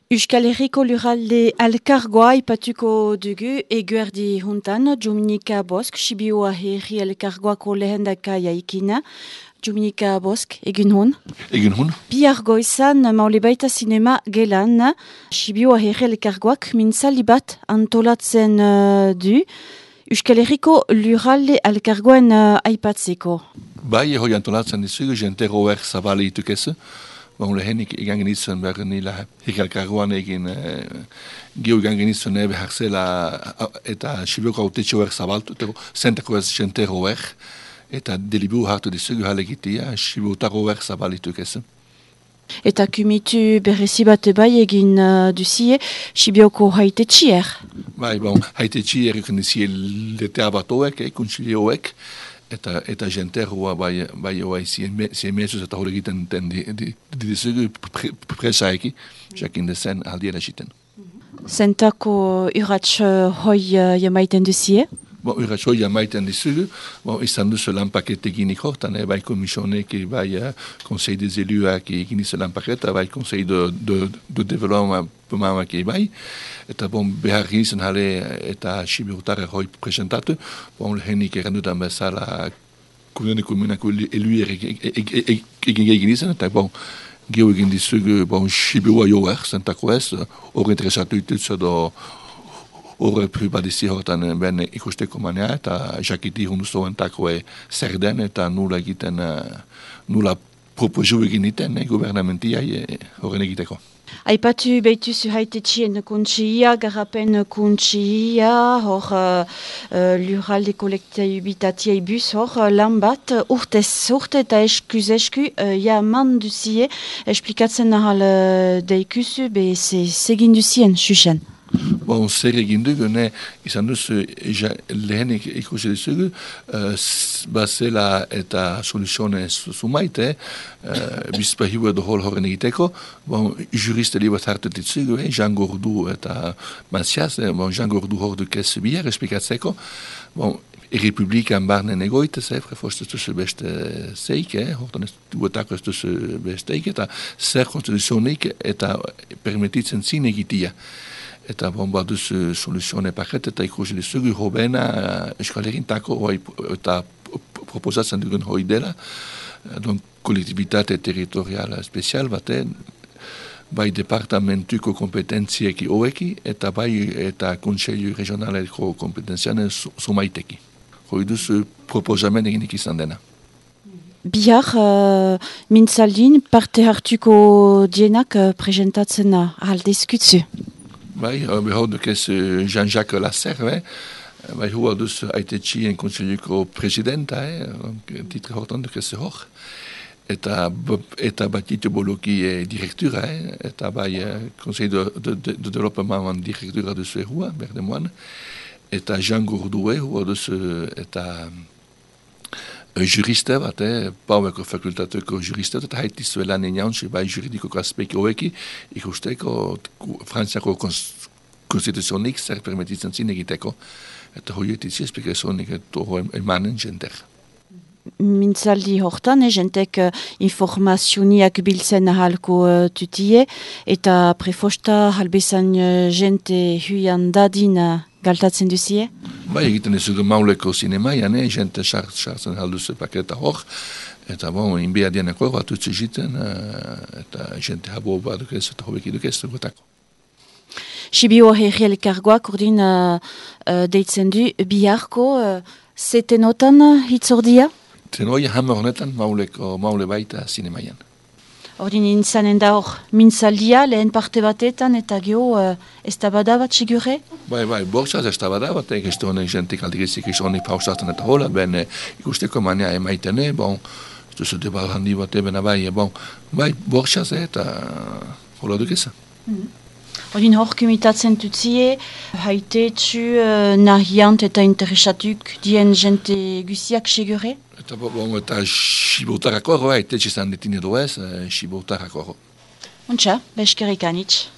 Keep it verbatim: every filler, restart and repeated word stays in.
Euskal Herriko lurralde elkargoa ipatuko dugu eguerdi juntan, Dominika Bosk, Sibioa Herri elkargoako lehendakaia ikina. Dominika Bosk, egun hon? Egun hon. Bihar goizan, maule baita sinema gelan, Sibioa Herri elkargoak mintzali bat antolatzen uh, du, Euskal Herriko lurralde elkargoen uh, aipatzeko. Bai, hoi antolatzen dizugu, jentero er zabali itukezu. Bon, lehenik egan genitzen behar nila hikalkargoan egin eh, gio egan genitzen ebe harzela eta Sibioko autetxo er zabaltu, zentako ez jentero er, eta delibu hartu dizugu halegitia, Sibiotaro er zabalituk ez. Eta kumitu berrezi bat bai egin uh, duzie, Sibioko haitetxier. Bai, bon, haitetxier egin dizie letea batoek, eh, kuntzilioek, eta eta jenterroa bai bai oai zien mesuz eta hori egiten den dizugu presaiki, jakin dezen aldiera egiten. Zentako urratx hoi jamaiten duzie? Bon, urratx hoi jamaiten dizugu, bon, izan duzu lanpaket eginik hortan, eh, bai komisionek, bai uh, Conseil des Eluak egin izu lanpaketa, bai Conseil de, de, de Développement bai, eta bon, behar ginizen jale eta Sibiotara hoi presentatu, bon, lehenik errandutan bezala kumene kumenako eluer egin egin izan, eta bon, gio egin dizugu, bon, Sibioa joer, zentako ez, hori interesatu itutzu do horre pribadizi hortan ben ikusteko manea, eta jakiti hunduzo entako zer den, eta nula egiten, nula proposu egin iten, gubernamentiai horren egiteko. Aipatu behituzu haitetxien kuntxia, garapen kuntxia, hor uh, lurralde kolektibitatiai bus, hor lan bat urtez urte eta eskuz esku uh, ja man duzie, esplikatzen nahal uh, deikuzu, be segin duzien, xuxen. Bon, zer egin dugu, ne, izan duzu ja, lehenik ikusi duzugu, uh, bazela eta soluzione sumaite, uh, bizpahiu edo hol horren egiteko, bon, juriste libat hartu ditzugu, eh, Jean Gordu eta Mancias, eh, bon, Jean Gordu hor dukez bier esplikatzeko, bon, Errepublikan barnen egoite, ze, frefost ez duzu beste zeik, eh, hortan ez duetako ez duzu besteik, eta zer konstituzionik eta permititzen zin egitia. Eta bon, baduz soluzione paket, eta ikusi dizugu hobena Euskal Herrintako eta proposatzen dugun hoi dela, don kolektibitate territoriala spezial baten, bai departamentuko kompetentzieki hoeki, eta bai eta kontseilu regionaleko kompetentzianen sumaiteki. Hoi duzu proposamen eginik izan dena. Bihar, uh, mintzaldin parte hartuko dienak uh, presentatzen aldezkutzu. Bai, behar dukez Jean-Jacques Lasserre, bai hua duz haitetxien kontseiluko presidenta, eh, titre hortan dukez hor, eta, eta batitu boloki eh, direktura, eh, eta bai Conseil de, de, de, de Développement direktura duzu hua, berdemoan, eta Jean Gourdoué hua duz eta juriste bat, eh, Paueko fakultateko juriste, eta haitizu elan enean, bai juridikoko aspeki hoeki, ikusteko Frantziako konstituzionik zer permititzen zin egiteko, eta hoietitzi esplikazionik eto emanen jenter. Mintzaldi hortan, eh, jentek uh, informazioniak biltzen ahalko uh, tutie, eta prefosta halbezan uh, jente huian dadin uh, galtatzen duzie? Bai, egiten ezugu mauleko zinemaian, eh, jente sartzen halduzu paketa hor, eta bon, inbea dienako bat utzi jiten, uh, eta jente habo baduk ez, eta hobek iduk ez dugutako. Sibioa Herri elkargoak urdin uh, uh, deitzen du biharko, uh, zetenotan hitzordia? Tenoi hamar honetan mauleko, maule baita zinemaian. Ordin intzanen da hor mintzaldia, lehen parte batetan, eta geho uh, ez da bada bat sigure? Bai, bai, bortzaz ez da bada bat, egizte honek jentik aldigizik isonik pausatzen eta hola, ben ikusteko mania emaitene, bon, ez duzu debar handi bat ebena bai, bon, bai, bortzaz eta hola dukeza. Mm-hmm. Ordin hor kumitatzen tutzie, haitetxu, uh, nahiant eta interesatuk dien jente guziak sigure? Eta bon, eta Sibotarako hor, haitetxe zan detine doez, Sibotarako hor. Untxa, beskerik anitz.